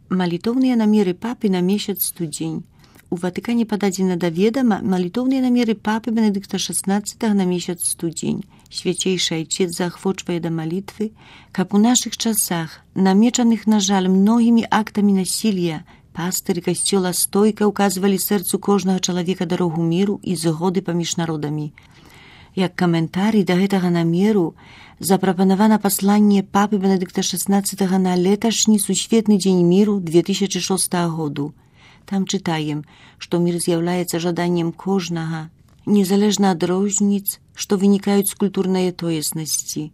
Малітоўныя намеры папы на месяц студзень. У Ватыкане пададзена да ведама малітоўныя намеры папы Бенедыкта XVI на месяц студзень. Свяцейшы айчец заахвочвае да малітвы, каб у нашых часах, намечаных, на жаль, многімі актамі насілля, пастыры касцёла стойка ўказвалі сэрцу кожнага чалавека дарогу міру і згоды паміж народамі. Як каментарый да гэтага намеру запрапанавана пасланне папы Бенедыкта XVI на леташні сусветны дзень міру 2006 году. Там чытаем, што мір з'яўляецца жаданнем кожнага, незалежна ад розніц, што вынікаюць з культурнай тоеснасці.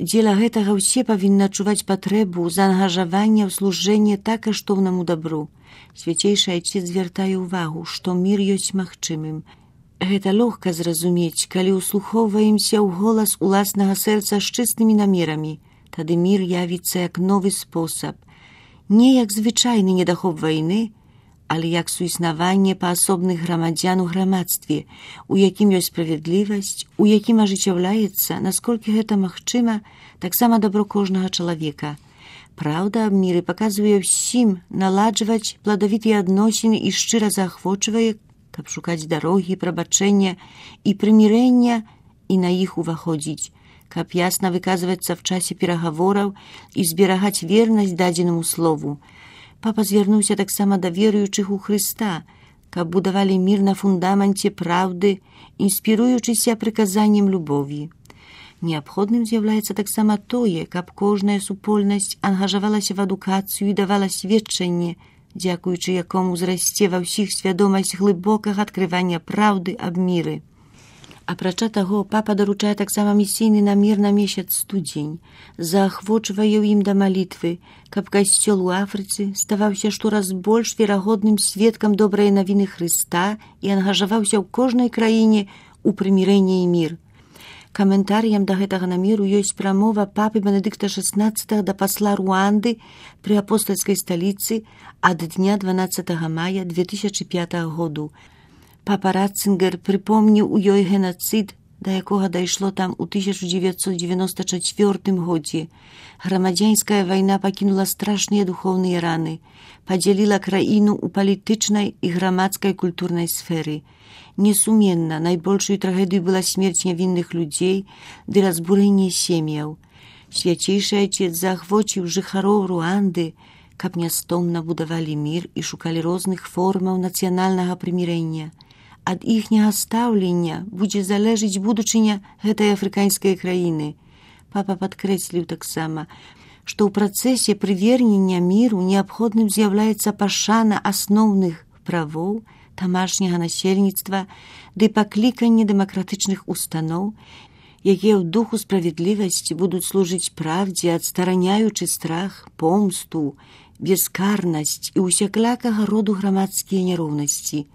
Дзеля гэтага ўсе павінны адчуваць патрэбу заангажавання ў служэнне так каштоўнаму дабру. Свяцейшы айчец звяртае ўвагу, што мір ёсць магчымым. Гэта лёгка зразумець, калі ўслухоўваемся ў голас уласнага сэрца з чыстымі намерамі. Тады мір явіцца як новы спосаб. Не як звычайны недахоп вайны, але як суіснаванне паасобных грамадзян у грамадстве, у якім ёсць справядлівасць, у якім ажыццяўляецца, насколькі гэта магчыма, таксама дабро кожнага чалавека. Праўда аб міры паказвае ўсім наладжваць пладавітыя адносіны і шчыра заахвочвае, каб шукаць дарогі, прабачэння і прымірэння і на іх уваходзіць, каб ясна выказвацца в часе перагавораў і зберагаць вернасць дадзенаму слову. Папа звярнуўся таксама да веруючых у Хрыста, каб будавалі мір на фундаменце праўды, інспіруючыся прыказаннем любові. Неабходным з'яўляецца таксама тое, каб кожная супольнасць ангажавалася в адукацыю і давала сведчанне, дзякуючы якому зрасце ва ўсіх свядомасць глыбокага адкрывання праўды аб міры. Апрача таго, папа даручае таксама місійны намер на месяц студзень, заахвочвае ў ім да малітвы, каб касцёл у Афрыцы ставаўся штораз больш верагодным сведкам добрай навіны Хрыста і ангажаваўся ў кожнай краіне ў прымірэнні і мір. Каментарыям да гэтага намеру ёсць прамова папы Бенедыкта XVI да пасла Руанды пры апостальскай сталіцы ад дня 12 мая 2005 году. Папа Ратцингер прыпомніў у ёй генацыд, да якога дайшло там у 1994 годзе. Грамадзянская вайна пакінула страшныя духоўныя раны, падзяліла краіну ў палітычнай і грамадскай культурнай сферы. Несуменна, найбольшую трагедыю была смерць нявінных людзей ды разбурэнне сем'яў. Свяцейшы айчец заахвоціў жыхароў Руанды, каб нястомна будавалі мір і шукалі розных формаў нацыянальнага прымірэння. Ад іхняга стаўлення будзе залежыць будучыня гэтай афрыканскай краіны. Папа падкрэсліў таксама, што ў працэсе прывернення міру неабходным з'яўляецца пашана асноўных правоў тамашняга насельніцтва ды пакліканне дэмакратычных устаноў, якія ў духу справядлівасці будуць служыць правдзе, адстараняючы страх, помсту, бескарнасць і усяклякага роду грамадскія няроўнасці.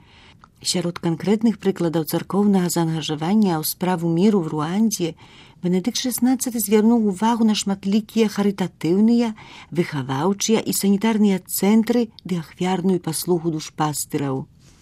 Сярод канкрэтных прыкладаў царкоўнага заангажавання ў справу міру в Руандзе Бенедыкт XVI звярнуў увагу на шматлікія харытатыўныя, выхаваўчыя і санітарныя цэнтры ды ахвярную паслугу душпастыраў.